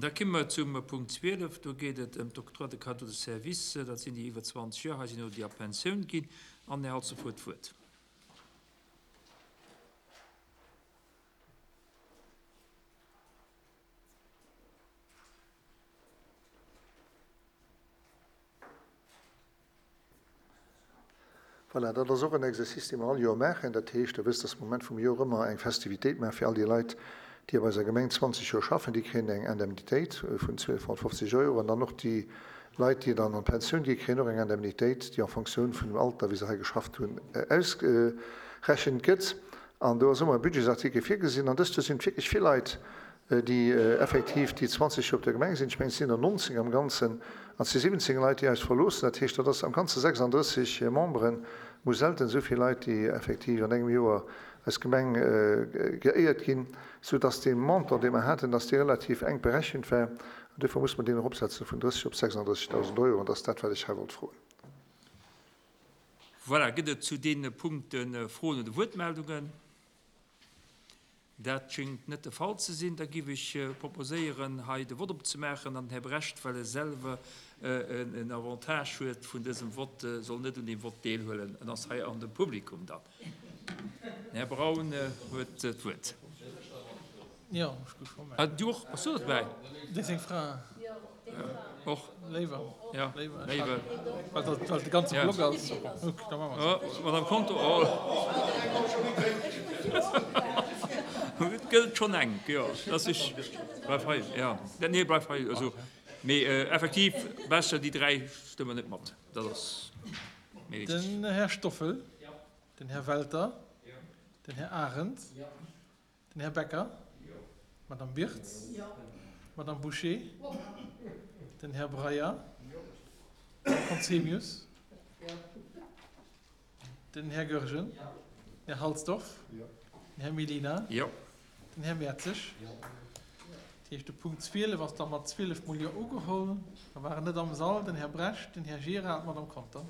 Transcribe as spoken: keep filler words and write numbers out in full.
Da komme mer zum Punkt zwielef. Do geet et ëm d'Octroi de cadeau de service. Dat sinn déi iwwer zwanzeg Joer hei sinn oder déi a Pensioun ginn. An den Här Halsdorf huet d'Wuert. Voilà, dat ass och en Exercice, dee mer all Joer maachen. Dat heescht, Der wësst, dass mer um Enn vum Joer ëmmer eng Festivitéit maache fir all déi Leit, déi op eiser Gemeng zwanzeg Joer schaffen. Déi kréien eng Indemnitéit vun zwielfhonnertfofzeg Euro. An dann och déi Leit, déi dann an d'Pensioun ginn, kréien och eng Indemnitéit, déi en Fonctioun vun dem Alter, wéi se hei geschafft hunn, ausgerechent gëtt. An do ass ëmmer e Budgetsartikel virgesinn. An dëst Joer sinn et wierklech vill Leit, déi effektiv déi zwanzeg Joer op der Gemeng sinn. Ech mengen, et sinn der nonzéng am Ganzen, an et si siwwenzéng Leit, déi eis verloossen. Dat heescht, dat ass am Ganze sechsanddrësseg Memberen. Mol selten esou vill Leit, déi effektiv an engem Joer eis Gemeng geéiert ginn, soudass dee Montant, dee mer haten, dass dee relativ enk berechent war. An duerfir muss mer deen eropsetzen vun drësseg op sechsanddrëssigtausend Euro. An dat ass dat, wat ech hei wollt froen. Voilà, gëtt et zu deene Punkte Froen oder Wuertmeldungen? Dat schéngt net de Fall ze sinn. Da géif ech proposéieren, hei de Vott opzemaachen. An den Här Brecht, well e selwer en Avantage huet vun dësem Vott, soll net un deem Vott deelhuelen. En ass hei an dem Publikum dann. Den Här Braun huet d'Wuert. Jo, ech gouf scho Ah, du och? Bass du dobäi? Déi seng Fra. Och. Léiwer. Ja, Léiwer. léiwer. Well dat well de ganze Ja. Block ass. Ok, da maache mer Oh, Madame Conter, oh. Et gëllt schonn enk, jo. Dass ech, bleif hei, ja. Nee, bleif hei, also. Mee effektiv, besser déi dräi stëmmen net mat. Dat ass méi richteg. Den Här Stoffel. Den Här Welter. Den Här Arendt. Den Här Becker. D'Madame Birtz. D'Madame Bouché. Den Här Breyer. Den Här Conzemius. Den Här Goergen. Den Här Halsdorf. Den Här Mellina. Den Här Mertzig. Dat heescht, de Punkt zwielef ass da mat zwielef mol Jo ugeholl. Da waren net am Sall den Här Brecht, den Här Gira an d'Madame Conter.